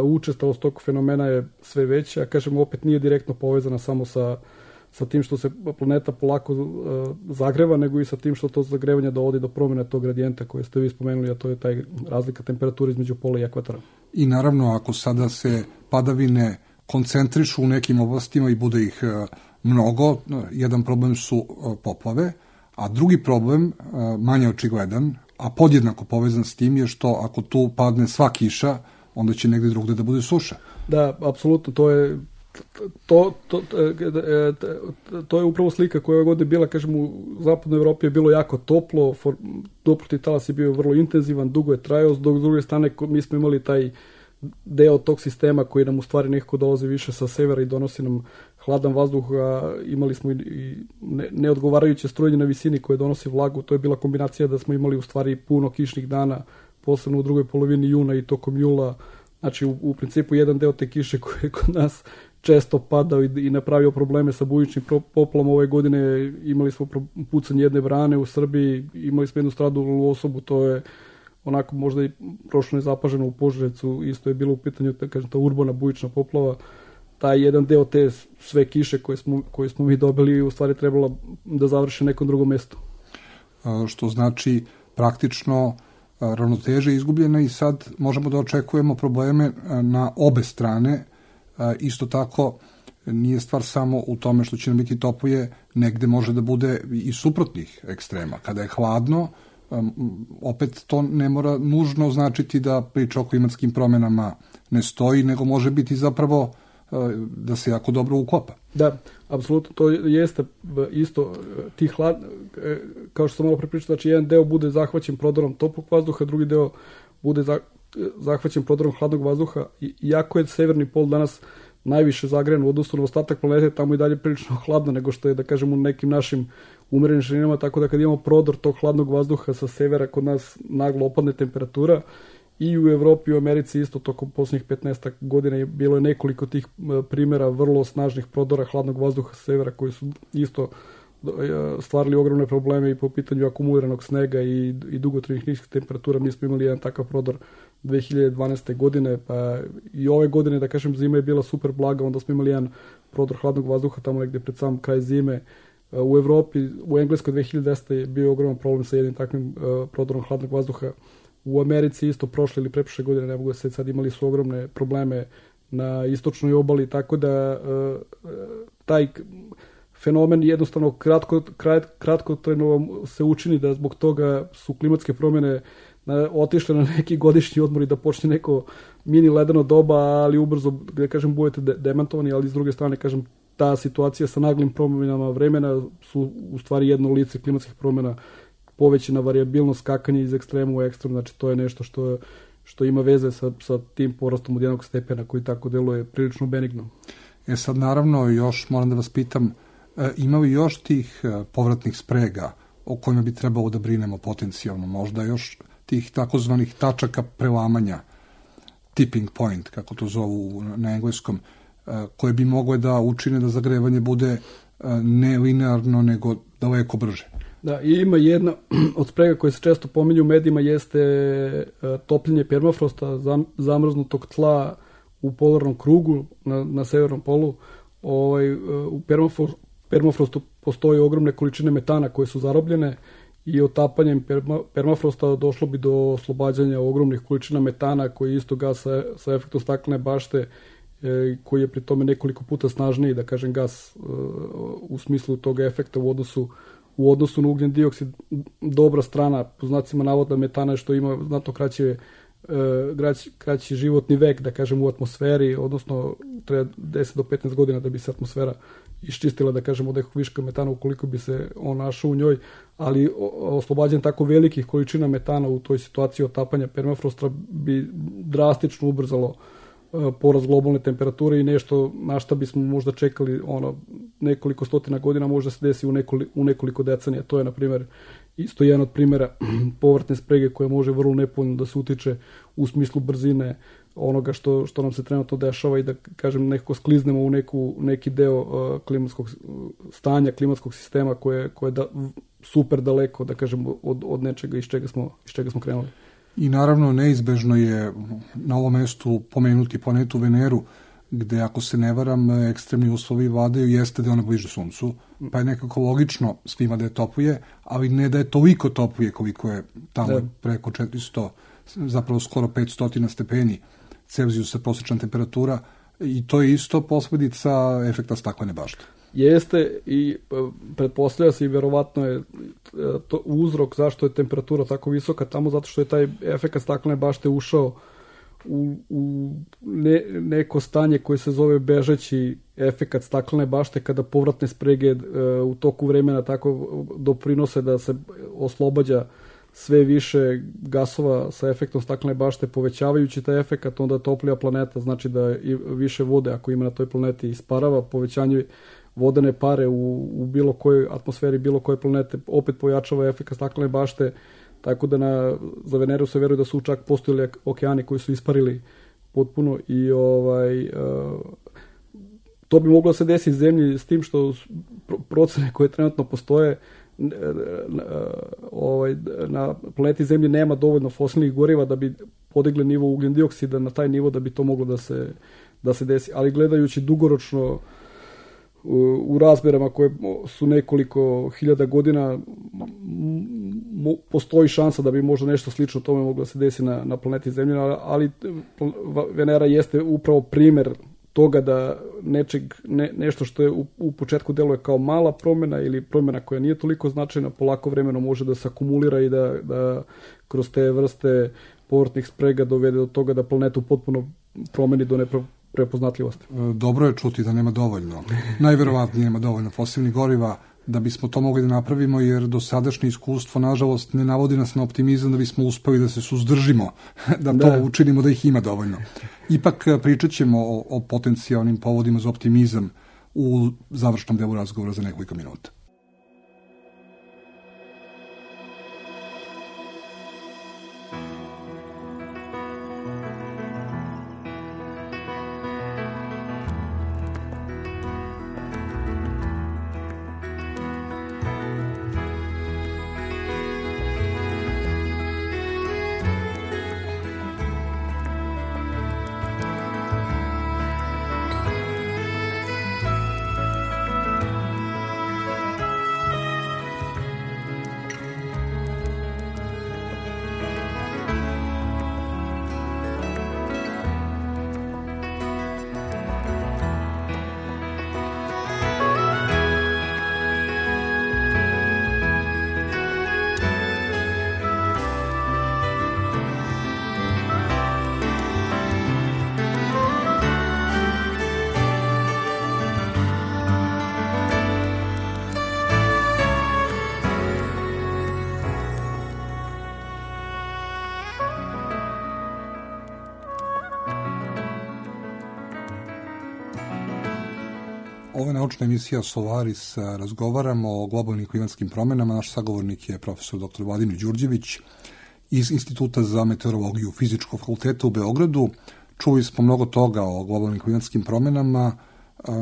učestalost tog fenomena je sve veća, a kažem opet nije direktno povezana samo sa tim što se planeta polako zagreva, nego i sa tim što to zagrevanje dovodi do promjene tog gradijenta koje ste vi spomenuli, a to je taj razlika temperature između pola i ekvatora. I naravno, ako sada se padavine koncentrišu u nekim oblastima i bude ih mnogo, jedan problem su poplave, a drugi problem, manje očigledan, a podjednako povezan s tim je što ako tu padne sva kiša, onda će negdje drugdje da bude suša. Da, apsolutno, to je upravo slika koja je godine bila, kažem, u zapadnoj Evropi je bilo jako toplo, toplotni talas je bio vrlo intenzivan, dugo je trajao, dok s druge strane mi smo imali taj deo tog sistema koji nam u stvari nekako dolazi više sa severa i donosi nam hladan vazduh, a imali smo i neodgovarajuće strujanje na visini koje donosi vlagu, to je bila kombinacija da smo imali u stvari puno kišnih dana, posebno u drugoj polovini juna i tokom jula, znači u principu jedan deo te kiše koji je kod nas često padao i napravio probleme sa bujičnim poplavama. Ove godine imali smo pucanje jedne brane u Srbiji, imali smo jednu stradalnu osobu, to je onako možda i prošlo nezapaženo u Požarevcu, isto je bilo u pitanju, da kažem, ta urbana bujična poplava, taj jedan deo te sve kiše koje smo mi dobili u stvari trebala da završi nekom drugom mjestu. Što znači praktično ravnoteža je izgubljena i sad možemo da očekujemo probleme na obe strane. Isto tako nije stvar samo u tome što će nam biti toplije, negde može da bude i suprotnih ekstrema. Kada je hladno, opet to ne mora nužno značiti da priča o klimatskim promjenama ne stoji, nego može biti zapravo da se jako dobro ukopa. Da, apsolutno, to jeste isto kao što sam malo prepričao, znači jedan deo bude zahvaćen prodorom toplog vazduha, drugi deo bude zahvaćen prodorom hladnog vazduha. Iako je severni pol danas najviše zagrejan u odnosu na ostatak planete, tamo i dalje prilično hladno nego što je, da kažem, u nekim našim umerenim širinama, tako da kad imamo prodor tog hladnog vazduha sa severa, kod nas naglo opadne temperatura. I u Evropi i u Americi isto tokom posljednjih 15 godina bilo je nekoliko tih primjera vrlo snažnih prodora hladnog vazduha sa severa koji su isto stvarali ogromne probleme i po pitanju akumuliranog snega i dugotrajnih niskih temperatura. Mi smo imali jedan takav prodor 2012. godine, pa i ove godine, da kažem, zima je bila super blaga, onda smo imali jedan prodor hladnog vazduha tamo negdje pred sam kraj zime. U Evropi, u Engleskoj 2010. je bio ogroman problem sa jednim takvim prodorom hladnog vazduha. U Americi isto prošle ili preprošle godine, ne mogu da se sad, imali su ogromne probleme na istočnoj obali, tako da taj fenomen jednostavno kratkotrajno se učini da zbog toga su klimatske promjene otišle na neki godišnji odmor i da počne neko mini ledeno doba, ali ubrzo, da kažem, budete demantovani, ali s druge strane, kažem, ta situacija sa naglim promjenama vremena su u stvari jedno lice klimatskih promjena, povećana varijabilnost, skakanje iz ekstrema u ekstrem, znači to je nešto što ima veze sa tim porastom od jednog stepena koji tako deluje prilično benigno. Sad naravno još moram da vas pitam, ima li još tih povratnih sprega o kojima bi trebalo da brinemo potencijalno, možda još tih takozvanih tačaka prelamanja, tipping point, kako to zovu na engleskom, koje bi mogle da učine da zagrevanje bude ne linearno, nego daleko brže? Da, i ima jedna od sprega koje se često pominju u medijima jeste topljenje permafrosta, zamrznutog tla u polarnom krugu na severnom polu. U permafrostu postoje ogromne količine metana koje su zarobljene i otapanjem permafrosta došlo bi do oslobađanja ogromnih količina metana koji je isto gas sa efektom staklene bašte, koji je pri tome nekoliko puta snažniji, da kažem, gas u smislu tog efekta u odnosu na ugljen dioksid. Dobra strana, po znacima navoda, metana je što ima znatno kraći životni vek, da kažem, u atmosferi, odnosno treba 10 do 15 godina da bi se atmosfera iščistila, da kažem, od nekog viška metana ukoliko bi se on našao u njoj, ali oslobađanje tako velikih količina metana u toj situaciji otapanja permafrosta bi drastično ubrzalo porast globalne temperature i nešto na šta bismo možda čekali nekoliko stotina godina, možda se desi u nekoliko decenija. To je, na primjer, isto jedan od primjera povratne sprege koja može vrlo nepovoljno da se utiče u smislu brzine onoga što nam se trenutno dešava i da, kažem, nekako skliznemo u neki deo klimatskog stanja, klimatskog sistema koje je super daleko, da kažem, od nečega iz čega smo krenuli. I naravno neizbežno je na ovom mestu pomenuti planetu Veneru, gde, ako se ne varam, ekstremni uslovi vladaju, jeste da je ona bliže Suncu, pa je nekako logično svima da je toplije, ali ne da je toliko toplije koliko je tamo preko 400, zapravo skoro 500 stepeni Celzijusa prosječna temperatura, i to je isto posledica efekta staklene bašte. Jeste, i pretpostavlja se i verovatno je to uzrok zašto je temperatura tako visoka tamo, zato što je taj efekt staklene bašte ušao u neko stanje koje se zove bežeći efekt staklene bašte, kada povratne sprege u toku vremena tako doprinose da se oslobađa sve više gasova sa efektom staklene bašte, povećavajući taj efekt, onda toplija planeta, znači da i više vode, ako ima na toj planeti, isparava, povećanje vodene pare u bilo kojoj atmosferi bilo koje planete opet pojačava efekt staklene bašte, tako da za Veneru se veruje da su čak postojali okeani koji su isparili potpuno i to bi moglo se desiti zemlji, s tim što procene koje trenutno postoje, na planeti Zemlji nema dovoljno fosilnih goriva da bi podigli nivo ugljen dioksida na taj nivo da bi to moglo da se desi, ali gledajući dugoročno u razmerama koje su nekoliko hiljada godina, postoji šansa da bi možda nešto slično tome moglo da se desi na planeti Zemlji, ali Venera jeste upravo primer toga da nešto što je u početku deluje kao mala promjena ili promjena koja nije toliko značajna, polako vremenom može da se akumulira i da kroz te vrste povratnih sprega dovede do toga da planetu potpuno promeni do neprepoznatljivosti. Dobro je čuti da nema dovoljno. Najverovatnije nema dovoljno fosilnih goriva da bismo to mogli da napravimo, jer dosadašnje iskustvo, nažalost, ne navodi nas na optimizam da bismo uspeli da se suzdržimo, da to učinimo, da ih ima dovoljno. Ipak pričat ćemo o potencijalnim povodima za optimizam u završnom delu razgovora za nekoliko minuta. Ovo je naučna emisija Solaris. Razgovaramo o globalnim klimatskim promjenama. Naš sagovornik je profesor dr. Vladimir Đurđević iz Instituta za meteorologiju Fizičkog fakulteta u Beogradu. Čuli smo mnogo toga o globalnim klimatskim promjenama,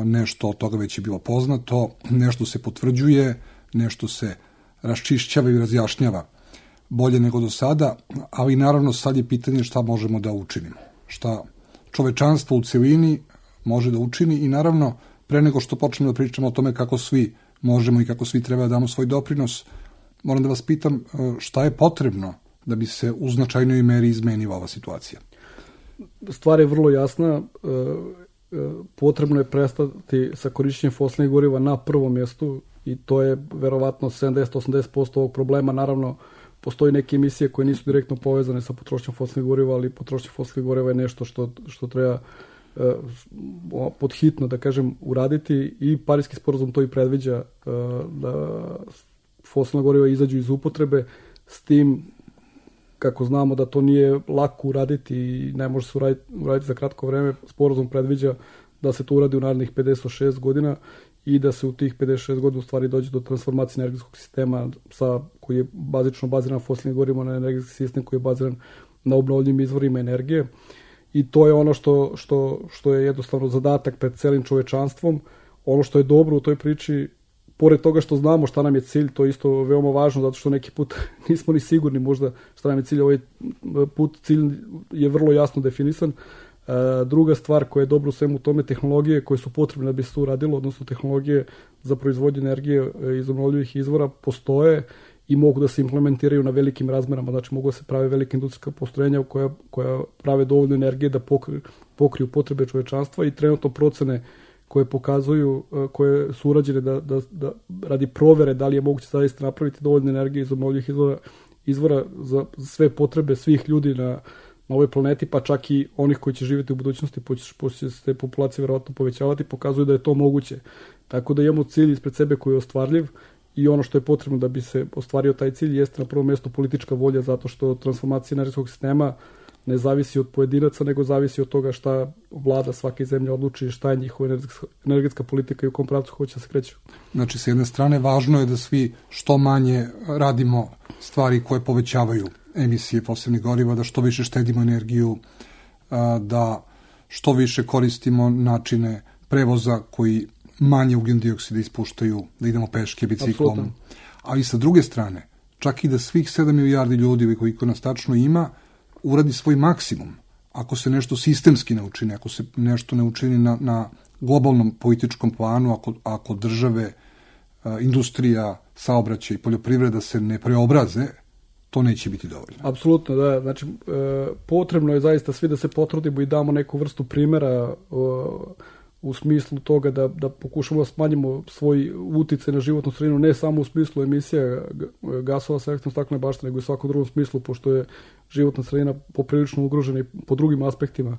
nešto od toga već je bilo poznato, nešto se potvrđuje, nešto se raščišćava i razjašnjava bolje nego do sada, ali naravno sad je pitanje šta možemo da učinimo, šta čovečanstvo u celini može da učini i naravno pre nego što počnemo da pričamo o tome kako svi možemo i kako svi treba da damo svoj doprinos. Moram da vas pitam šta je potrebno da bi se u značajnoj meri izmenila ova situacija? Stvar je vrlo jasna. Potrebno je prestati sa korišćenjem fosilnih goriva na prvom mjestu i to je verovatno 70-80% ovog problema. Naravno, postoji neke emisije koje nisu direktno povezane sa potrošnjom fosilnih goriva, ali potrošnja fosilnih goriva je nešto što treba podhitno, da kažem, uraditi i Pariski sporazum to i predviđa, da fosilna goriva izađu iz upotrebe, s tim kako znamo da to nije lako uraditi i ne može se uraditi za kratko vreme. Sporazum predviđa da se to uradi u narednih 56 godina i da se u tih 56 godina u stvari dođe do transformacije energetskog sistema koji je bazično baziran na fosilnim gorivima, na energetski sistem koji je baziran na obnovljivim izvorima energije. I to je ono što je jednostavno zadatak pred celim čovečanstvom. Ono što je dobro u toj priči, pored toga što znamo šta nam je cilj, to je isto veoma važno, zato što neki put nismo ni sigurni možda šta nam je cilj. Ovaj put cilj je vrlo jasno definisan. Druga stvar koja je dobra u svemu tome, tehnologije koje su potrebne da bi se to uradilo, odnosno tehnologije za proizvodnju energije iz obnovljivih izvora postoje i mogu da se implementiraju na velikim razmerama, znači mogu da se prave velike industrijska postrojenja koja prave dovoljno energije da pokriju potrebe čovečanstva i trenutno procene koje pokazuju, koje su urađene da radi provere da li je moguće zaista napraviti dovoljno energije iz obnovljivih izvora za sve potrebe svih ljudi na ovoj planeti, pa čak i onih koji će živjeti u budućnosti, pošto će se te populacije verovatno povećavati, pokazuju da je to moguće. Tako da imamo cilj ispred sebe koji je ostvarljiv i ono što je potrebno da bi se ostvario taj cilj jeste na prvom mjestu politička volja, zato što transformacija energetskog sistema ne zavisi od pojedinaca, nego zavisi od toga šta vlada svake zemlje odluči, šta je njihova energetska politika i u kom pravcu hoće da se kreće. Znači, s jedne strane, važno je da svi što manje radimo stvari koje povećavaju emisije fosilnih goriva, da što više štedimo energiju, da što više koristimo načine prevoza koji manje ugljen dioksida ispuštaju, da idemo peške, biciklom. Absolutno. Ali sa druge strane, čak i da svih 7 milijardi ljudi koliko nas tačno ima, uradi svoj maksimum. Ako se nešto sistemski ne učini, ako se nešto ne učini na globalnom političkom planu, ako države, industrija, saobraćaj i poljoprivreda se ne preobraze, to neće biti dovoljno. Apsolutno, da. Znači, potrebno je zaista svi da se potrudimo i damo neku vrstu primjera u smislu toga da pokušamo da smanjimo svoj uticaj na životnu sredinu, ne samo u smislu emisija gasova sa efektom staklene bašte, nego i u svakom drugom smislu, pošto je životna sredina poprilično ugrožena i po drugim aspektima.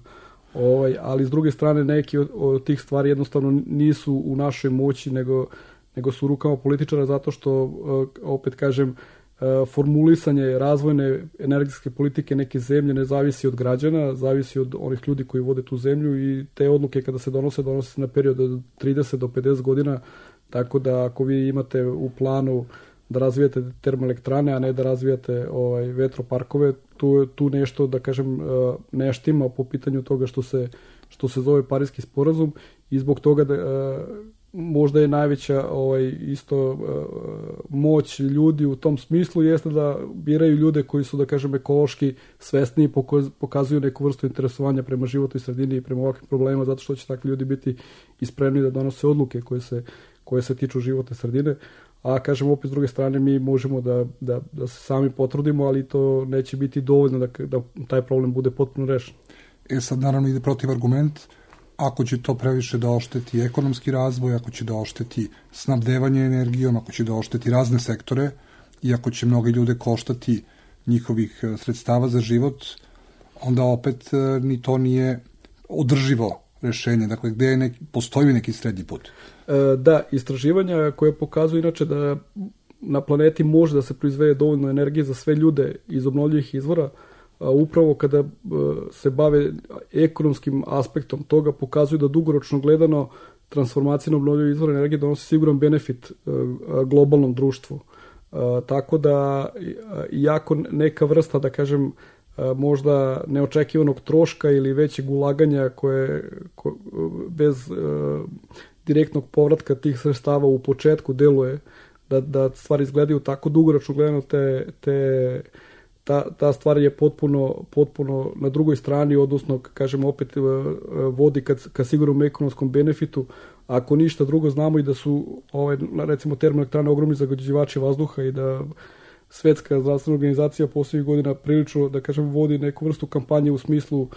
Ali s druge strane neki od tih stvari jednostavno nisu u našoj moći, nego su u rukama političara, zato što, opet kažem, formulisanje razvojne energetske politike neke zemlje ne zavisi od građana, zavisi od onih ljudi koji vode tu zemlju i te odluke kada se donose se na period od 30 do 50 godina, tako da ako vi imate u planu da razvijate termoelektrane, a ne da razvijate vetroparkove, tu nešto, da kažem, ne štima po pitanju toga što se zove Pariski sporazum i zbog toga možda je najveća moć ljudi u tom smislu jeste da biraju ljude koji su, da kažem, ekološki svesni i pokazuju neku vrstu interesovanja prema životnoj sredini i prema ovakvim problemima, zato što će takvi ljudi biti i spremni da donose odluke koje se tiču životne sredine. A kažem, opet s druge strane mi možemo da se sami potrudimo, ali to neće biti dovoljno da taj problem bude potpuno rešen. Sad naravno ide protiv argument. Ako će to previše da ošteti ekonomski razvoj, ako će da ošteti snabdevanje energijom, ako će da ošteti razne sektore i ako će mnoge ljude koštati njihovih sredstava za život, onda opet ni to nije održivo rešenje. Dakle, gde postoji neki srednji put? Da, istraživanja koje pokazuju inače da na planeti može da se proizvede dovoljno energije za sve ljude iz obnovljivih izvora, upravo kada se bave ekonomskim aspektom toga, pokazuju da dugoročno gledano transformacija na obnovljive izvore energije donosi siguran benefit globalnom društvu. Tako da, iako neka vrsta, da kažem, možda neočekivanog troška ili većeg ulaganja koje bez direktnog povratka tih sredstava u početku deluje da stvari izgledaju tako, dugoročno gledano ta stvar je potpuno na drugoj strani, odnosno, kažem, opet vodi ka sigurnom ekonomskom benefitu. Ako ništa drugo, znamo i da su recimo termoelektrane ogromni zagađivači vazduha i da Svetska zdravstvena organizacija posljednjih godina prilično, da kažem, vodi neku vrstu kampanje u smislu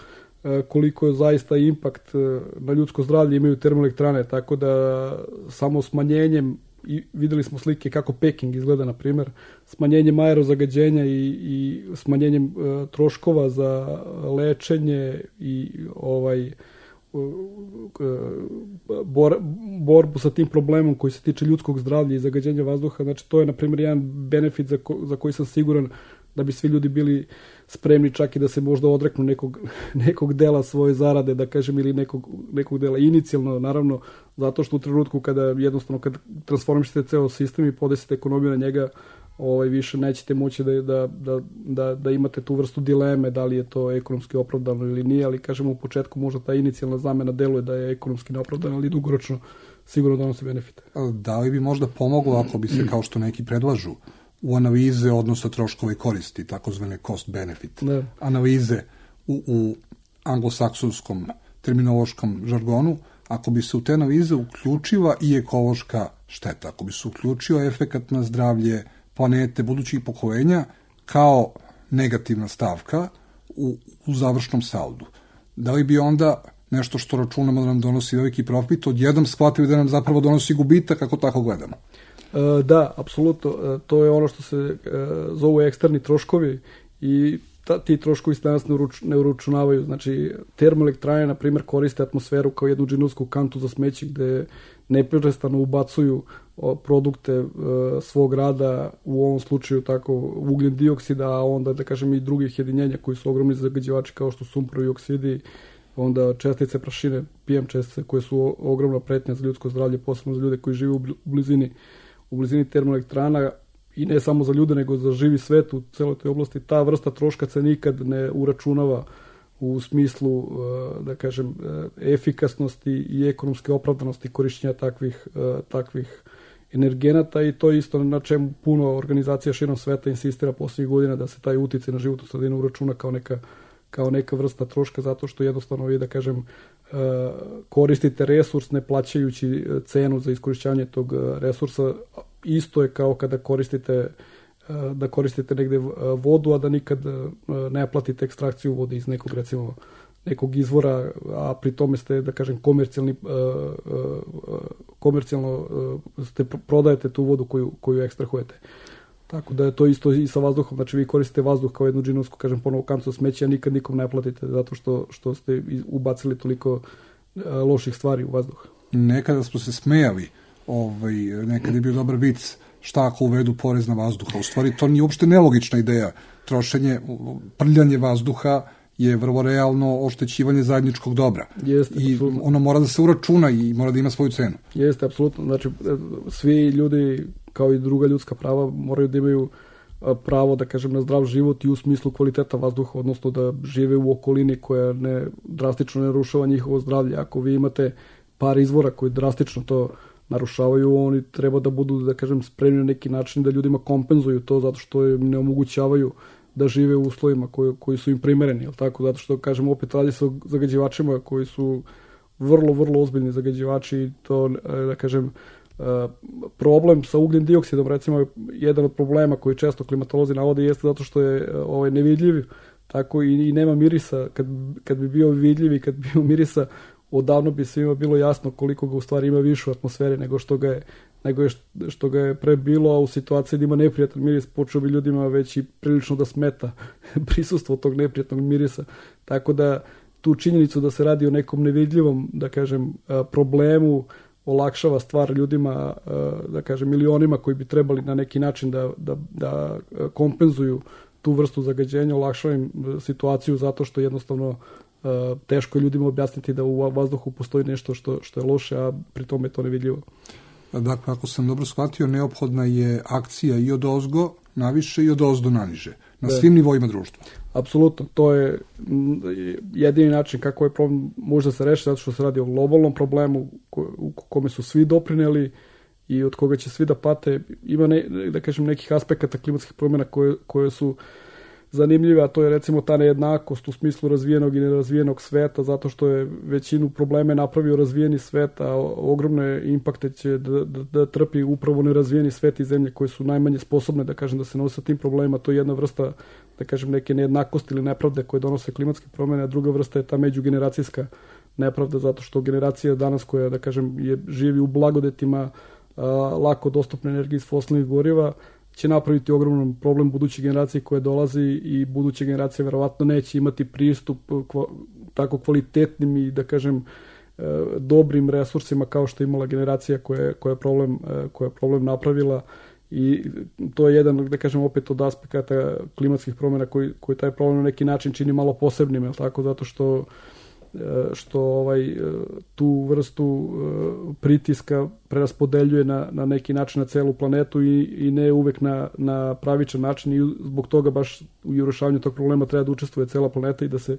koliko je zaista impakt na ljudsko zdravlje imaju termoelektrane, tako da samo smanjenjem, i videli smo slike kako Peking izgleda, na primjer, smanjenjem aerozagađenja i smanjenjem troškova za lečenje i borbu sa tim problemom koji se tiče ljudskog zdravlja i zagađenja vazduha. Znači, to je, na primjer, jedan benefit za koji sam siguran da bi svi ljudi bili spremni čak i da se možda odreknu nekog dela svoje zarade, da kažem, ili nekog dela inicijalno, naravno, zato što u trenutku kada jednostavno kad transformišete ceo sistem i podesite ekonomiju na njega, više nećete moći da imate tu vrstu dileme da li je to ekonomski opravdano ili nije, ali kažemo u početku možda ta inicijalna zamena deluje da je ekonomski neopravdana, ali dugoročno sigurno donosi benefite. Da li bi možda pomoglo ako bi se, kao što neki predlažu, u analize odnosa troškova i koristi, takozvane cost-benefit analize u anglosaksonskom terminološkom žargonu, ako bi se u te analize uključila i ekološka šteta, ako bi se uključio efekat na zdravlje planete, budućih pokolenja, kao negativna stavka u završnom saldu. Da li bi onda nešto što računamo da nam donosi veliki profit, odjednom shvatili da nam zapravo donosi gubitak, ako tako gledamo? Da, apsolutno. To je ono što se zovu eksterni troškovi i ti troškovi se danas ne uračunavaju. Znači, termoelektrane, na primjer, koriste atmosferu kao jednu džinovsku kantu za smeće gde neprestano ubacuju produkte svog rada, u ovom slučaju tako ugljen dioksida, a onda, da kažem, i drugih jedinjenja koji su ogromni zagađivači kao što su sumporovi oksidi, onda čestice prašine, PM čestice koje su ogromna pretnja za ljudsko zdravlje, posebno za ljude koji žive u blizini termoelektrana, i ne samo za ljude, nego za živi svet u celoj toj oblasti. Ta vrsta troška se nikad ne uračunava u smislu, da kažem, efikasnosti i ekonomske opravdanosti korišćenja takvih energenata, i to je isto na čemu puno organizacija širom sveta insistira posljednjih godina, da se taj uticaj na životnu sredinu uračuna kao neka vrsta troška, zato što jednostavno vi, da kažem, koristite resurs ne plaćajući cenu za iskorišćavanje tog resursa. Isto je kao kada koristite negde vodu, a da nikad ne platite ekstrakciju vode iz nekog, recimo, nekog izvora, a pri tome ste, da kažem, komercijalno prodajete tu vodu koju ekstrahujete. Tako da je to isto i sa vazduhom. Znači, vi koristite vazduh kao jednu džinovsku, kažem, ponovo kancu smeća, a nikad nikom ne platite zato što ste ubacili toliko loših stvari u vazduh. Nekada smo se smejali, nekada je bio dobar vic, šta ako uvedu porez na vazduha. U stvari, to nije uopšte nelogična ideja. Prljanje vazduha je vrlo realno oštećivanje zajedničkog dobra. Jeste, i apsolutno. Ono mora da se uračuna i mora da ima svoju cenu. Jeste, apsolutno. Znači, svi ljudi, kao i druga ljudska prava, moraju da imaju pravo, da kažem, na zdrav život i u smislu kvaliteta vazduha, odnosno da žive u okolini koja drastično ne narušava njihovo zdravlje. Ako vi imate par izvora koji drastično to narušavaju, oni treba da budu, da kažem, spremni na neki način da ljudima kompenzuju to, zato što im ne omogućavaju da žive u uslovima koji su im primereni, jel tako? Zato što, kažem, opet radi se o zagađivačima koji su vrlo, vrlo ozbiljni zagađivači, i to, da kažem, problem sa ugljen dioksidom, recimo, jedan od problema koji često klimatolozi navode jeste zato što je nevidljiv, tako i nema mirisa. Kad bi bio vidljiv i kad bi bio mirisa, odavno bi svima bilo jasno koliko ga u stvari ima više u atmosferi nego što ga je pre bilo, a u situaciji da ima neprijatan miris počeo bi ljudima već i prilično da smeta prisustvo tog neprijatnog mirisa. Tako da tu činjenicu da se radi o nekom nevidljivom, da kažem, problemu olakšava stvar ljudima, da kažem, milionima koji bi trebali na neki način da kompenzuju tu vrstu zagađenja, olakšava im situaciju zato što jednostavno teško je ljudima objasniti da u vazduhu postoji nešto što je loše, a pri tome je to nevidljivo. Dakle, ako sam dobro shvatio, neophodna je akcija i od ozgo naviše i od ozdo naniže, na svim nivoima društva. Apsolutno, to je jedini način kako je problem može se rešiti, zato što se radi o globalnom problemu u kome su svi doprineli i od koga će svi da pate. Ima da kažem, nekih aspekata klimatskih promjena koje su zanimljiva, a to je recimo ta nejednakost u smislu razvijenog i nerazvijenog sveta, zato što je većinu probleme napravio razvijeni svet, a ogromne impakte će da trpi upravo nerazvijeni svet i zemlje koje su najmanje sposobne, da kažem, da se nose tim problemima. To je jedna vrsta, da kažem, neke nejednakosti ili nepravde koje donose klimatske promjene, a druga vrsta je ta međugeneracijska nepravda, zato što generacija danas koja, da kažem, živi u blagodetima lako dostupne energije iz fosilnih goriva, će napraviti ogroman problem budućih generacija koje dolazi i buduće generacije verovatno neće imati pristup tako kvalitetnim i, da kažem, dobrim resursima kao što je imala generacija koja je problem napravila. I to je jedan, da kažem, opet od aspekata klimatskih promjena koji taj problem na neki način čini malo posebnim, je li tako, zato što tu vrstu pritiska preraspodeljuje na neki način na celu planetu i ne uvek na pravičan način, i zbog toga baš u rješavanju tog problema treba da učestvuje cela planeta i da se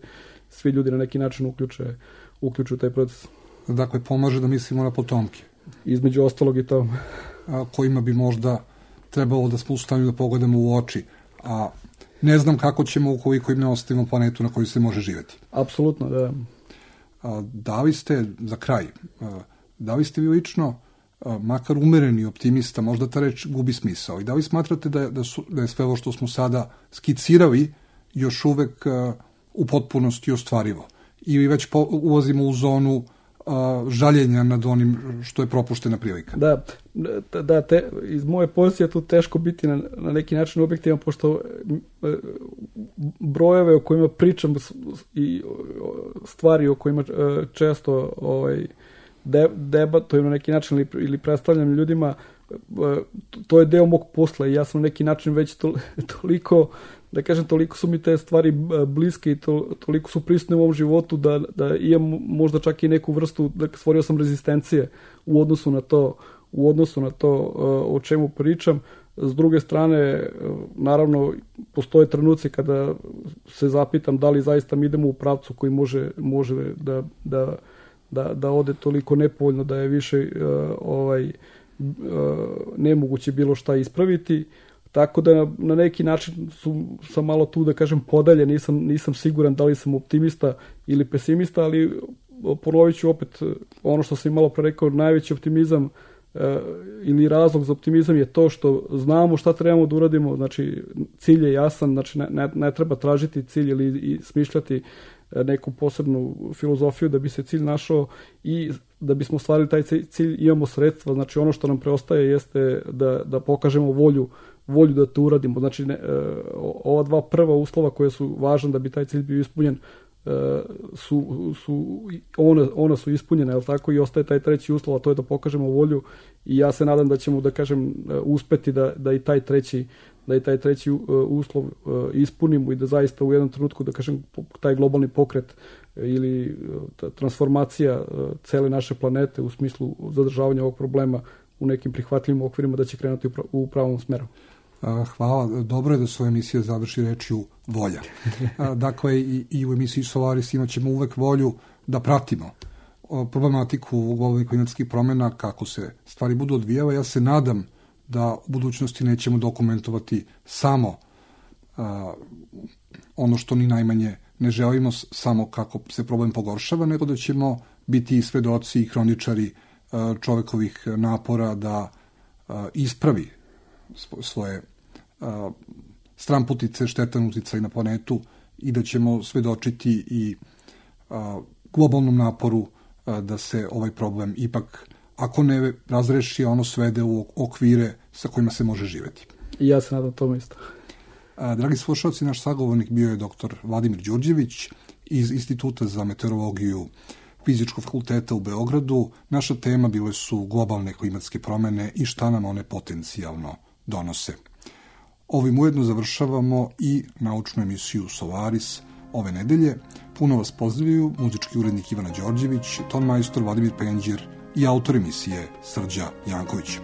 svi ljudi na neki način uključe u taj proces. Dakle, pomaže da mislimo na potomke. Između ostalog i to. Kojima bi možda trebalo da smo u stanju da pogledamo u oči, a ne znam kako ćemo ukoliko im ne ostavimo planetu na kojoj se može živjeti. Apsolutno, da. Da li ste, za kraj, da li ste vi lično, makar umereni optimista, možda ta reč gubi smisao, i da li smatrate da je sve ovo što smo sada skicirali još uvek u potpunosti ostvarivo? Ili već ulazimo u zonu žaljenja nad onim što je propuštena prilika? Da, iz moje pozicije tu teško biti na neki način objektivan, pošto brojeve o kojima pričam i stvari o kojima često debatujem na neki način ili predstavljam ljudima, to je deo mog posla i ja sam na neki način već toliko, da kažem, toliko su mi te stvari bliske i toliko su prisutne u ovom životu da imam možda čak i neku vrstu, da stvorio sam rezistencije u odnosu na to o čemu pričam. S druge strane, naravno, postoje trenuci kada se zapitam da li zaista mi idemo u pravcu koji može da ode toliko nepovoljno da je više nemoguće bilo šta ispraviti. Tako da na neki način sam malo tu, da kažem, podalje, nisam siguran da li sam optimista ili pesimista, ali ponovit ću opet ono što sam malo pre rekao, najveći optimizam ili razlog za optimizam je to što znamo šta trebamo da uradimo, znači cilj je jasan, znači ne treba tražiti cilj ili smišljati neku posebnu filozofiju da bi se cilj našao, i da bismo ostvarili taj cilj imamo sredstva, znači ono što nam preostaje jeste da pokažemo volju da to uradimo. Znači ova dva prva uslova koje su važne da bi taj cilj bio ispunjen ona su ispunjena, je li tako, i ostaje taj treći uslov, a to je da pokažemo volju, i ja se nadam da ćemo, da kažem, uspeti da i taj treći uslov ispunimo i da zaista u jednom trenutku, da kažem, taj globalni pokret ili transformacija cele naše planete u smislu zadržavanja ovog problema u nekim prihvatljivim okvirima da će krenuti u pravom smeru. Hvala. Dobro je da su emisija završi rečju volja. Dakle, i u emisiji Solaris imat ćemo uvek volju da pratimo problematiku globalnih klimatskih promjena, kako se stvari budu odvijale. Ja se nadam da u budućnosti nećemo dokumentovati samo ono što ni najmanje ne želimo, samo kako se problem pogoršava, nego da ćemo biti i svedoci i hroničari čovekovih napora da ispravi svoje stramputice, štetan uticaj na planetu, i da ćemo svedočiti i globalnom naporu da se ovaj problem ipak, ako ne razreši, ono svede u okvire sa kojima se može živjeti. I ja se nadam tome isto. Dragi slušalci, naš sagovornik bio je dr. Vladimir Đurđević iz Instituta za meteorologiju Fizičkog fakulteta u Beogradu. Naša tema bile su globalne klimatske promjene i šta nam one potencijalno donose. Ovim ujedno završavamo i naučnu emisiju Solaris ove nedelje. Puno vas pozdravljaju muzički urednik Ivana Đorđević, ton majstor Vladimir Penđir i autor emisije Srđa Janković.